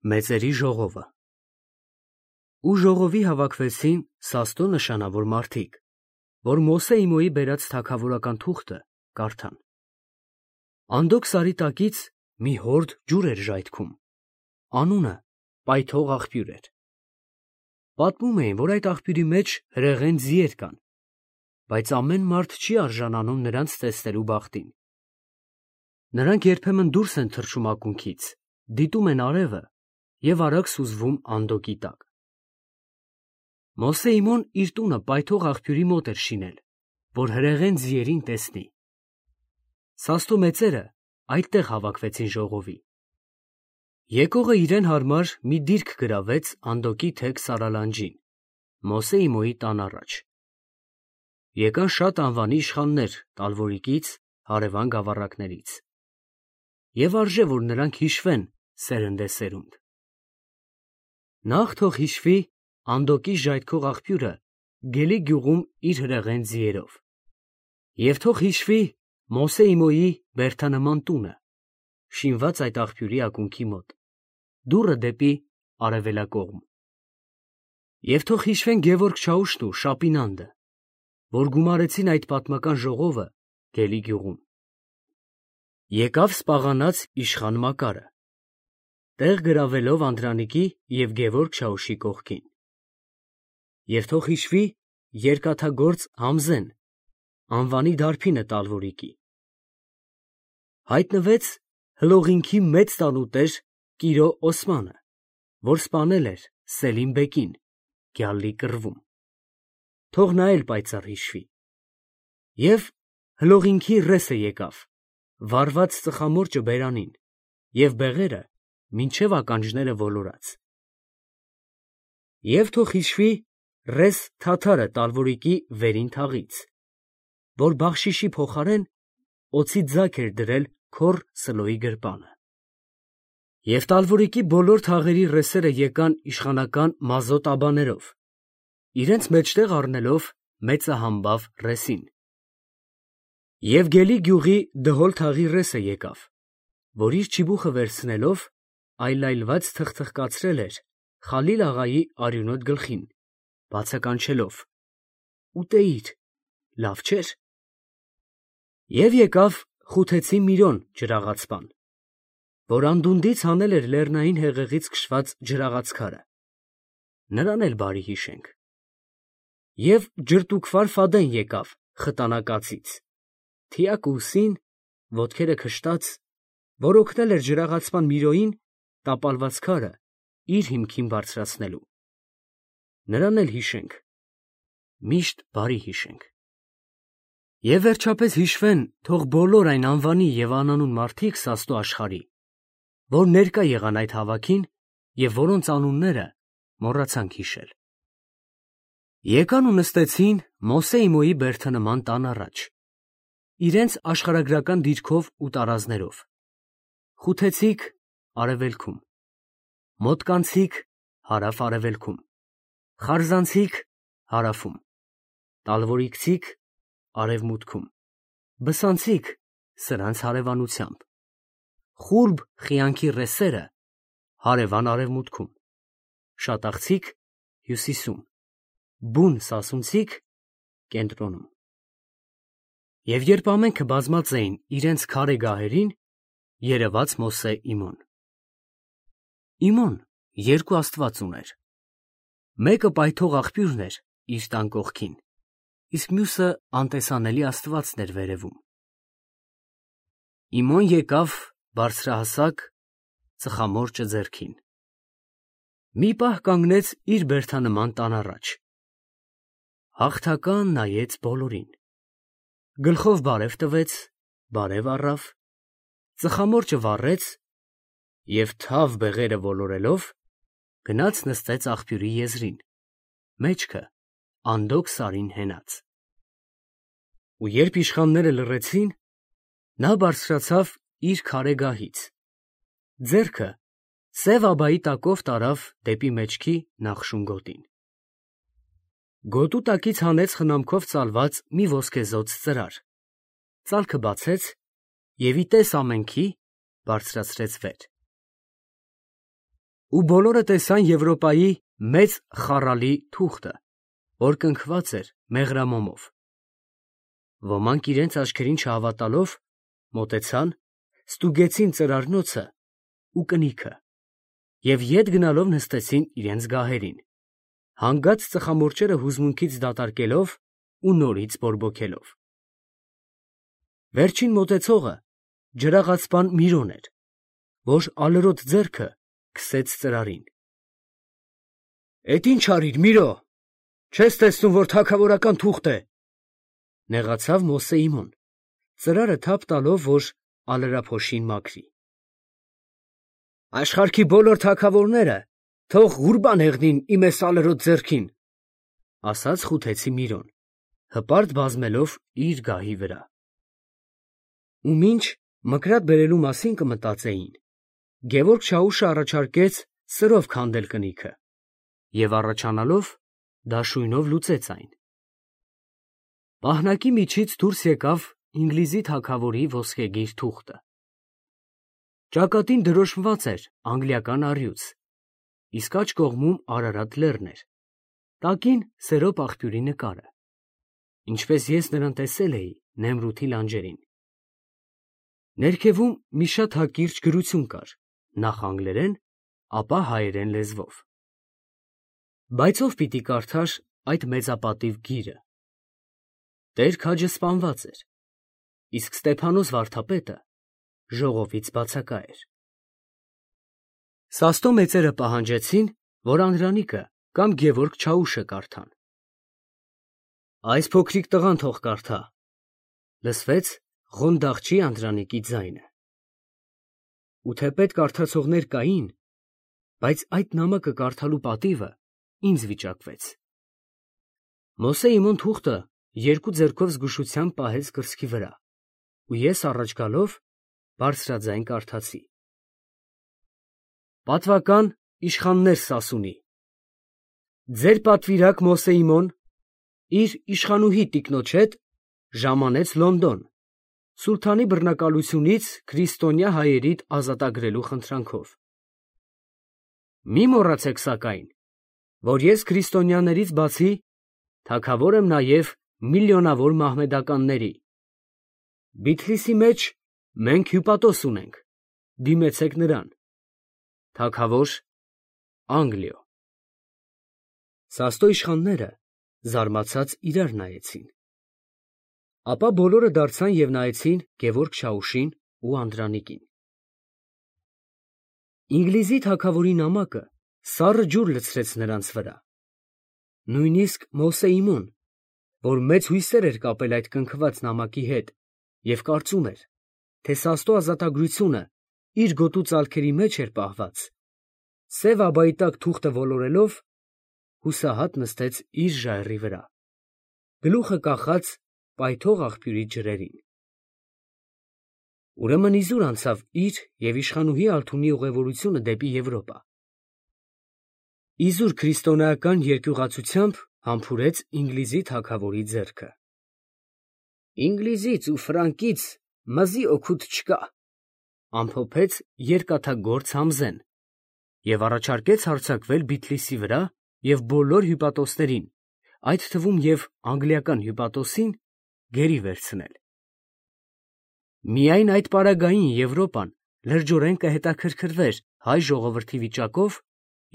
Մեծերի ժողովը։ Ու ժողովի հավաքվեցին Սաստո նշանավոր մարդիկ, որ Մոսեի Մոյի բերած թագավորական թուղթը կարդան։ Անդոք սարի տակից մի հորդ ջուր էր ժայթքում, անունը Պայթող աղբյուր էր։ Պատմում էին, որ այդ աղբյուրի մեջ հրեղեն ձիեր կան, բայց ամեն մարդ չի արժանանում նրանց տեսնելու բախտին։ Նրանք երբեմն դուրս են թռչում ակունքից, դիտում են արևը և արագ սուզվում անդոկի տակ։ Մոսեի Մոն իր տունը Պայթող աղբյուրի մոտ էր շինել, որ հրեղեն ձիերին տեսնի։ Սաստո մեծերը այդտեղ հավաքվեցին ժողովի։ Եկողը իրեն հարմար մի դիրք գրավեց անդոկի թեք սարալանջին, Մոսեի Մոյի տան առաջ։ Եկան շատ անվանի իշխաններ Տալվորիկից, հարևան գավառակներից։ Եվ արժե, որ նրանք հիշվեն սերնդեսերունդ։ Նախ թող հիշվի անդոկի ժայթքող աղբյուրը Գելի գյուղում իր հրեղեն ձիերով։ Եվ թող հիշվի Մոսեի Մոյի բերդանման տունը, շինված այդ աղբյուրի ակունքի մոտ, դուռը դեպի արևելակողմ։ Եվ թող հիշվեն Գևորգ Չաուշն ու Շապինանդը, որ գումարեցին այդ պատմական ժողովը Գելի գյուղում։ Եկավ սպաղանած իշխան Մակարը, տեղ գրավելով Անդրանիկի և Գևորգ Չաուշի կողքին։ Եվ թող հիշվի երկաթագործ Համզեն, անվանի դարբինը Տալվորիկի։ Հայտնվեց Հլողինքի մեծ տանուտեր Կիրո Օսմանը, որ սպանել էր Սելիմ բեկին գյալլի կռվում։ Թող նա էլ պայծառ հիշվի։ Եվ Հլողինքի ռեսը եկավ, վառված ծխամորճը բերանին, և բեղերը մինչև ականջները ոլորած։ Եվ թող հիշվի ռես Թաթարը Տալվորիկի վերին թաղից, որ բախշիշի փոխարեն օձի ձագ էր դրել քոռ Սլոյի գրպանը։ Եվ Տալվորիկի բոլոր թաղերի ռեսերը եկան իշխանական մազոտ աբաներով, իրենց մեջտեղ առնելով մեծահամբավ ռեսին։ Եվ Գելի գյուղի դհոլ թաղի ռեսը եկավ, որ իր չիբուխը վերցնելով այլայլված թխթխկացրել էր Խալիլ աղայի արյունոտ գլխին, բացականչելով. «Ուտեիր, լավ չէր»։ Եվ եկավ Խութեցի Միրոն ջրաղացպան, որ անդունդից հանել էր լեռնային հեղեղից քշված ջրաղացքարը, նրան էլ բարի հիշենք։ Եվ Ջրտուքվար Ֆադեն եկավ Խտանակացից, թիակ ուսին, ոտքերը քշտած, որ օգնել էր ջրաղացպան Միրոյին տապալված քարը իր հիմքին բարձրացնելու, նրան էլ հիշենք, միշտ բարի հիշենք։ Եվ վերջապես հիշվեն թող բոլոր այն անվանի և անանուն մարդիկ Սաստո աշխարհի, որ ներկա եղան այդ հավաքին և որոնց անունները մոռացանք հիշել։ Եկան ու նստեցին Մոսեի Մոյի բերդանման տան առաջ, իրենց աշխարհագրական դիրքով ու տարազներով, խութեցիք արևելքում, մոտկանցիք հարավ֊արևելքում, խարզանցիք հարավում, տալվորիկցիք արևմուտքում, բսանցիք սրանց հարևանությամբ, խուրբ խիանքի ռեսերը հարևան արևմուտքում, շատախցիք հյուսիսում, բուն սասունցիք կենտրոնում։ Եվ երբ ամենքը բազմած էին իրենց քարե գահերին, երևաց Մոսե Իմոն։ Իմոն երկու աստված ուներ, մեկը Պայթող աղբյուրն էր իր տան կողքին, իսկ մյուսը անտեսանելի աստվածն էր վերևում։ Իմոն եկավ բարձրահասակ, ծխամորճը ձեռքին։ Մի պահ կանգնեց իր բերդանման տան առաջ, հաղթական նայեց բոլորին, գլխով բարև տվեց, բարև առավ, ծխամորճը վառեց և թավ բեղերը ոլորելով գնաց նստեց աղբյուրի եզրին, մեջքը անդոկ սարին հենած։ Ու երբ իշխանները լռեցին, նա բարձրացավ իր քարե գահից, ձեռքը սև աբայի տակով տարավ դեպի մեջքի նախշուն գոտին։ Գոտու տակից հանեց խնամքով ծալված մի ոսկեզօծ ծրար, ծալքը բացեց և ի տես ամենքի բարձրացրեց վեր։ ու բոլորը տեսան Եվրոպայի մեծ խառալի թուղթը, որ կնքված էր մեղրամոմով։ Ոմանք իրենց աչքերին չհավատալով մոտեցան, ստուգեցին ծրարնոցը ու կնիքը և ետ գնալով նստեցին իրենց գահերին, հանգած ծխամորճերը հուզմունքից դատարկելով ու նորից բորբոքելով։ Վերջին մոտեցողը ջրաղացպան Միրոն էր, որ ալրոտ ձեռքը քսեց ծրարին։ «Էդ ի՞նչ արիր, Միրո, չես տեսնում, որ թագավորական թուղթ է», նեղացավ Մոսեիմոն, ծրարը թափ տալով, որ ալրափոշին մաքրի։ «Աշխարհքի բոլոր թագավորները թող ղուրբան հեղնին իմ էս ալրոտ ձեռքին», ասաց խութեցի Միրոն, հպարտ բազմելով իր գահի վրա։ Ու մինչ մկրատ բերելու մասին կմտածեին, Գևորգ Չաուշը առաջարկեց սրով քանդել կնիքը և առաջանալով դաշույնով լուծեց այն։ Պահնակի միջից դուրս եկավ Ինգլիզի թագավորի ոսկեգիր թուղթը։ Ճակատին դրոշմված էր անգլիական առյուծ, իսկ աջ կողմում Արարատ լեռն էր, տակին Սերոպ աղբյուրի նկարը, ինչպես ես նրան տեսել էի Նեմրութի լանջերին։ Ներքևում մի շատ հակիրճ գրություն կար, նախ անգլերեն, ապա հայերեն լեզվով։ Բայց ով պիտի կարդար այդ մեծապատիվ գիրը։ Տեր քաջը սպանված էր, իսկ Ստեփանոս վարդապետը ժողովից բացակա էր։ Սաստո մեծերը պահանջեցին, որ Անդրանիկը կամ Գևորգ Չաուշը կարդան։ «Այս փոքրիկ տղան թող կարդա», լսվեց Ղոնդաղչի Անդրանիկի ձայնը։ Ու թեպետ կարդացողներ կային, բայց այդ նամակը կարդալու պատիվը ինձ վիճակվեց։ Մոսեիմոն թուղթը երկու ձեռքով զգուշությամբ պահեց կրծքի վրա, ու ես առաջ գալով բարձրաձայն կարդացի. «Պատվական իշխաններ Սասունի, ձեր պատվիրակ Մոսեիմոն իր իշխանուհի տիկնոջ հետ ժամանեց Լոնդոն, սուլթանի բռնակալությունից քրիստոնյա հայերիդ ազատագրելու խնդրանքով։ Մի մոռացեք սակայն, որ ես քրիստոնյաներից բացի թագավոր եմ նաև միլիոնավոր մահմեդականների։ Բիթլիսի մեջ մենք հյուպատոս ունենք, դիմեցեք նրան։ Թագավոր Անգլիո»։ Սաստո իշխանները զարմացած իրար նայեցին։ Ապա բոլորը դարձան և նայեցին Գևորգ Չաուշին ու Անդրանիկին։ Ինգլիզի թագավորի նամակը սառը ջուր լցրեց նրանց վրա։ Նույնիսկ Մոսեիմոն, որ մեծ հույսեր էր կապել այդ կնքված նամակի հետ և կարծում էր, թե Սաստո ազատագրությունը իր գոտու ծալքերի մեջ էր պահված, սև աբայի տակ թուղթը ոլորելով, հուսահատ նստեց իր ժայռի վրա, գլուխը կախած պայթող աղբյուրի ջրերին։ Ուրեմն իզուր անցավ իր և իշխանուհի Ալթունի ուղևորությունը դեպի Եվրոպա։ Իզուր քրիստոնեական երկյուղացությամբ համբուրեց Ինգլիզի թագավորի ձեռքը։ «Ինգլիզից ու Ֆրանկից մզի օգուտ չկա», ամփոփեց երկաթագործ Համզեն և առաջարկեց հարձակվել Բիթլիսի վրա և բոլոր հյուպատոսներին, այդ թվում և անգլիական հյուպատոսին, գերի վերցնել։ Միայն այդ պարագային Եվրոպան լրջորեն կհետաքրքրվեր հայ ժողովրդի վիճակով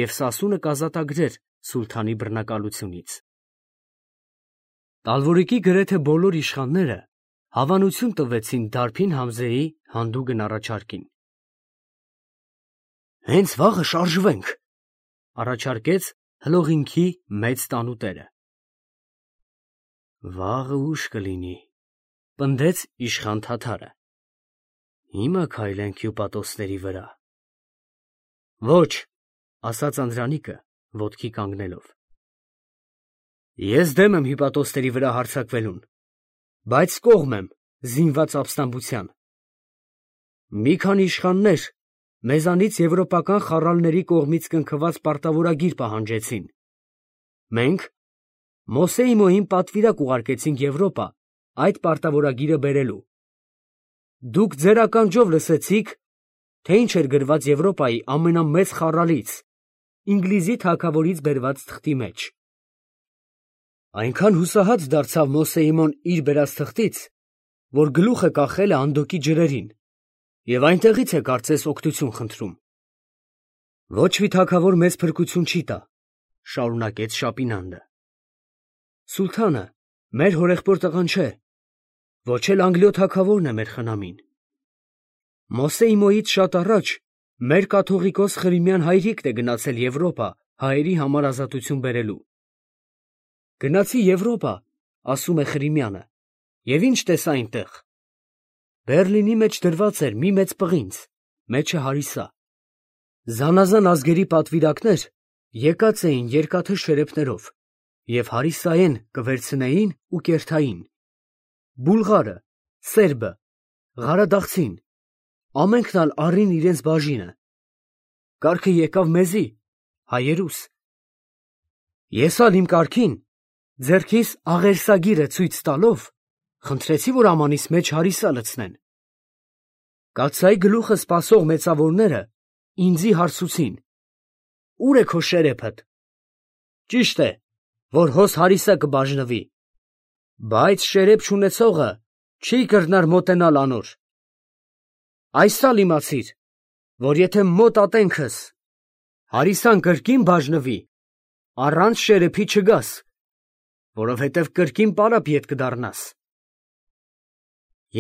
և Սասունը կազատագրեր սուլթանի բռնակալությունից։ Տալվորիկի գրեթե բոլոր իշխանները հավանություն տվեցին դարբին Համզեի հանդուգն առաջարկին։ «Հենց վաղը շարժվենք», առաջարկեց հլողինքի մեծ տանուտերը։ «Վաղը ուշ կլինի», պնդեց իշխան թաթարը։ «Հիմա քայլենք հյուպատոսների վրա»։ «Ոչ», ասաց Անդրանիկը, ոտքի կանգնելով։ «Ես դեմ եմ հյուպատոսների վրա հարձակվելուն, բայց կողմ եմ զինված ապստամբության։ Մի քանի իշխաններ մեզանից եվրոպական խառալների կողմից կնքված պարտավորագիր պահանջեցին։ Մենք Մոսեիմոյին պատվիրակ ուղարկեցինք Եվրոպա այդ պարտավորագիրը բերելու։ Դուք ձեր ականջով լսեցիք, թե ինչ էր գրված Եվրոպայի ամենամեծ խառալից, Ինգլիզի թագավորից բերված թղթի մեջ։ Այնքան հուսահատ դարձավ Մոսեիմոն իր բերած թղթից, որ գլուխը կախել է անդոկի ջրերին, և այնտեղից է կարծես օգնություն խնդրում։ Ոչ մի թագավոր մեծ փրկություն չի տա, շարունակեց Շապինանդը։ Սուլթանը մեր հորեղբոր տղան չէ, ոչ էլ Անգլիո թագավորն է մեր խնամին։ Մոսեիմոյից շատ առաջ մեր կաթողիկոս Խրիմյան հայրիկն է գնացել Եվրոպա հայերի համար ազատություն բերելու։ Գնացի Եվրոպա, ասում է Խրիմյանը, և ինչ տեսա այնտեղ։ Բեռլինի մեջ դրված էր մի մեծ պղինձ, մեջը հարիսա։ Զանազան ազգերի պատվիրակներ եկած էին երկաթե շերեփներով և հարիսային կվերցնեին ու կերթային։ Բուլղարը, սերբը, ղարադաղցին, ամենքն ալ առին իրենց բաժինը։ Կարգը եկավ մեզի, հայերուս։ Ես ալ իմ կարգին, ձեռքիս աղերսագիրը ցույց տալով, խնդրեցի, որ ամանիս մեջ հարիսա լցնեն։ Կաթսայի գլուխը սպասող մեծավորները ինձի հարցուցին. «Ուր է քո շերեփդ»։ Ճիշտ է, որ հոս հարիսա կբաժնվի, բայց շերեփ չունեցողը չի կրնար մոտենալ անոր։ Այսալ իմացիր, որ եթե մոտ ատենքս հարիսան կրկին բաժնվի, առանց շերեփի չգաս, որովհետև կրկին պարապ ետ կդառնաս։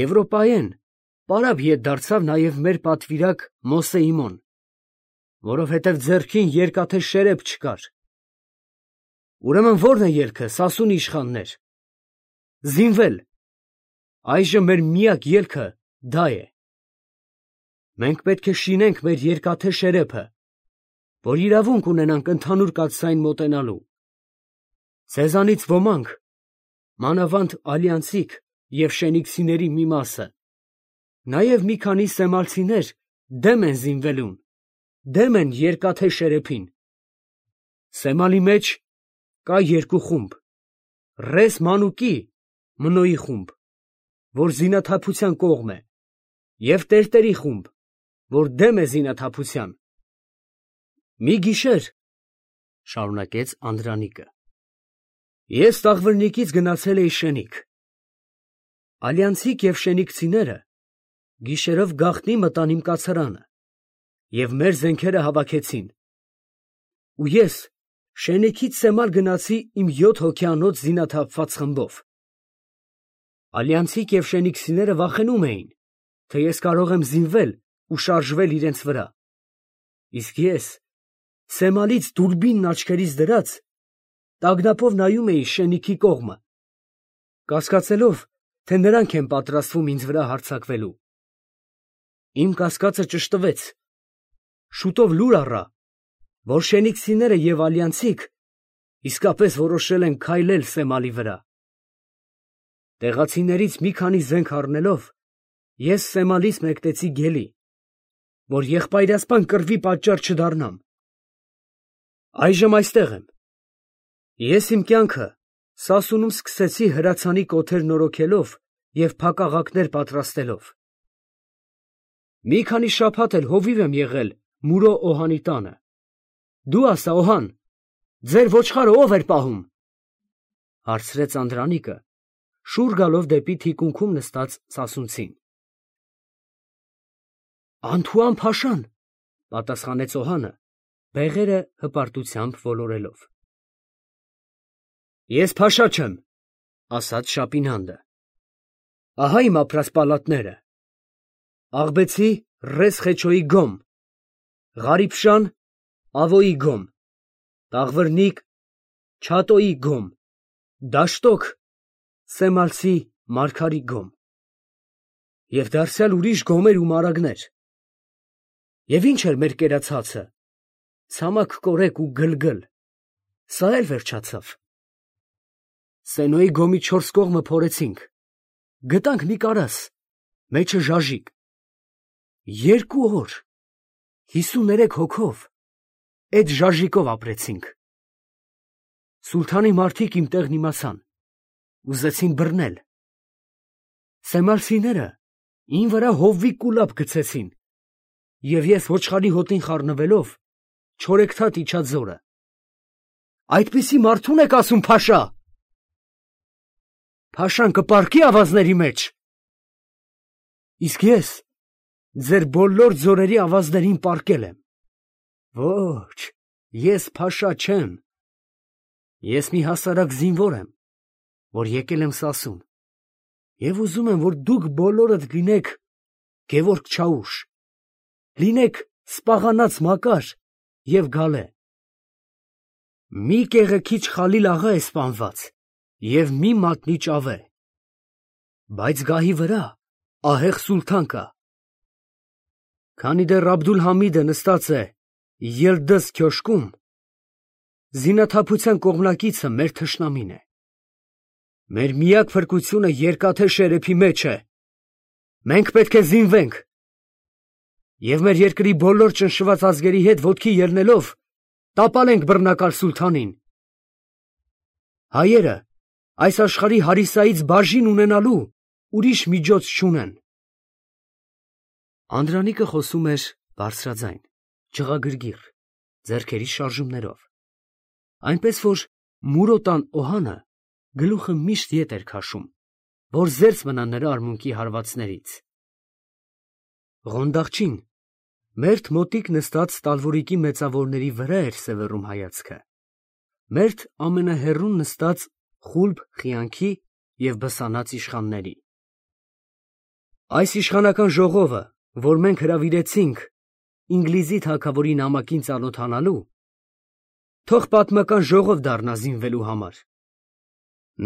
Եվրոպայեն պարապ ետ դարձավ նաև մեր պատվիրակ Մոսեիմոն, որովհետև ձեռքին երկաթե շերեփ չկար։ Ուրեմն ո՞րն է ելքը, սասուն իշխաններ։ Զինվել։ Այժմ մեր միակ ելքը դա է։ Մենք պետք է շինենք մեր երկաթե շերեփը, որ իրավունք ունենանք ընդհանուր կաթսային մոտենալու։ Ձեզանից ոմանք, մանավանդ ալյանսիկ և շենիքսիների մի մասը, նաև մի քանի սեմալցիներ դեմ են զինվելուն, դեմ են երկաթե շերեփին։ Սեմալի մեջ կա երկու խումբ, Ռես Մանուկի Մնոյի խումբ, որ զինաթափության կողմ է, և Տերտերի խումբ, որ դեմ է զինաթափության։ Մի գիշեր, շարունակեց Անդրանիկը, ես Տաղվրնիկից գնացել էի Շենիք։ Ալյանսիկ և շենիքցիները գիշերով գաղտնի մտան իմ կացարանը և մեր զենքերը հավաքեցին։ Ու ես Շենիքից Սեմալ գնացի իմ 7 հոգյանոց զինաթափված խմբով։ Ալյանսիկ և շենիքցիները վախենում էին, թե ես կարող եմ զինվել ու շարժվել իրենց վրա, իսկ ես Սեմալից դուրբինն աչքերիս դրած, տագնապով նայում էի Շենիքի կողմը, կասկածելով, թե նրանք են պատրաստվում ինձ վրա հարձակվելու։ Իմ կասկածը ճշտվեց։ Շուտով լուր առա, որ շենիքցիները և ալյանսիկ իսկապես որոշել են քայլել Սեմալի վրա։ Տեղացիներից մի քանի զենք առնելով, ես Սեմալից մեկնեցի Գելի, որ եղբայրասպան կռվի պատճառ չդառնամ։ Այժմ այստեղ եմ։ Ես իմ կյանքը Սասունում սկսեցի հրացանի կոթեր նորոգելով և փակաղակներ պատրաստելով։ Մի քանի շաբաթ էլ հովիվ եմ եղել Մուրո Օհանի տանը։ Դու ասա, Օհան, ձեր ոչխարը ո՞վ էր պահում, հարցրեց Անդրանիկը, շուռ գալով դեպի թիկունքում նստած սասունցին։ Անթուան Փաշան, պատասխանեց Օհանը, բեղերը հպարտությամբ ոլորելով։ Ես Փաշա չեմ, ասաց Շապինանդը։ Ահա իմ ապրած պալատները. Աղբեցի Ռես Խեչոյի գոմ, Ղարիփշան Ավոյի գոմ, Տաղվրնիկ Չատոյի գոմ, Դաշտոկ Սեմալցի Մարգարի գոմ և դարձյալ ուրիշ գոմեր ու մարագներ։ Եվ ինչ էր մեր կերացածը, ցամաք կորեկ ու գլգլ, սա էլ վերջացավ։ Սենոյի գոմի 4 կողմը փորեցինք, գտանք մի կարաս, մեջը ժաժիկ։ 2 օր, 53 հոգով, այդ ժաժիկով ապրեցինք։ Սուլթանի մարդիկ իմ տեղն իմացան, ուզեցին բռնել։ Սեմալցիները ին վրա հովվի կուլապ գցեցին և ես ոչխարի հոտին խառնվելով չորեքթաթ իջա ձորը։ Այդպիսի մարդու՞ն եք ասում փաշա։ Փաշան կպառկի ավազների մեջ։ Իսկ ես ձեր բոլոր ձորերի ավազներին պառկել եմ։ Ոչ, ես փաշա չեմ։ Ես մի հասարակ զինվոր եմ, որ եկել եմ Սասուն, և ուզում եմ, որ դուք բոլորդ լինեք Գևորգ Չաուշ, լինեք Սպաղանած Մակար և Գալե։ Մի կեղեքիչ Խալիլ աղա է սպանված և մի մատնի ճավե, բայց գահի վրա ահեղ սուլթան կա։ Քանի դեռ Աբդուլ֊Համիդը նստած է Ելդըզ քյոշկում, զինաթափության կողմնակիցը մեր թշնամին է։ Մեր միակ փրկությունը Երկաթե Շերեփի մեջ է։ Մենք պետք է զինվենք և մեր երկրի բոլոր ճնշված ազգերի հետ ոտքի ելնելով տապալենք բռնակալ սուլթանին։ Հայերը այս աշխարհի հարիսայից բաժին ունենալու ուրիշ միջոց չունեն։ Անդրանիկը խոսում էր բարձրաձայն, ջղագրգիռ, ձեռքերի շարժումներով, այնպես որ Մուրոտան Օհանը գլուխը միշտ ետ էր քաշում, որ զերծ մնա նրա արմունկի հարվածներից։ Ղոնդաղչին մերթ մոտիկ նստած տալվորիկի մեծավորների վրա էր սևեռում հայացքը, մերթ ամենահեռուն նստած խուլբ խիանքի և բսանած իշխանների։ Այս իշխանական ժողովը, որ մենք հրավիրեցինք Ինգլիզի թագավորի նամակին ծանոթանալու, թող պատմական ժողով դառնա զինվելու համար։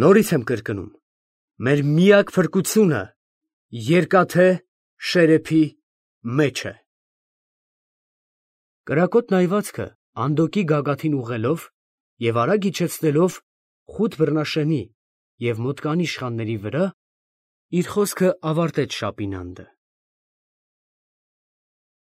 Նորից եմ կրկնում, մեր միակ փրկությունը Երկաթե Շերեփի մեջ է։ Կրակոտ նայվածքը Անդոկի գագաթին ուղղելով և արագ իջեցնելով խութ բռնաշենի և մոտկանի իշխանների վրա, իր խոսքը ավարտեց Շապինանդը։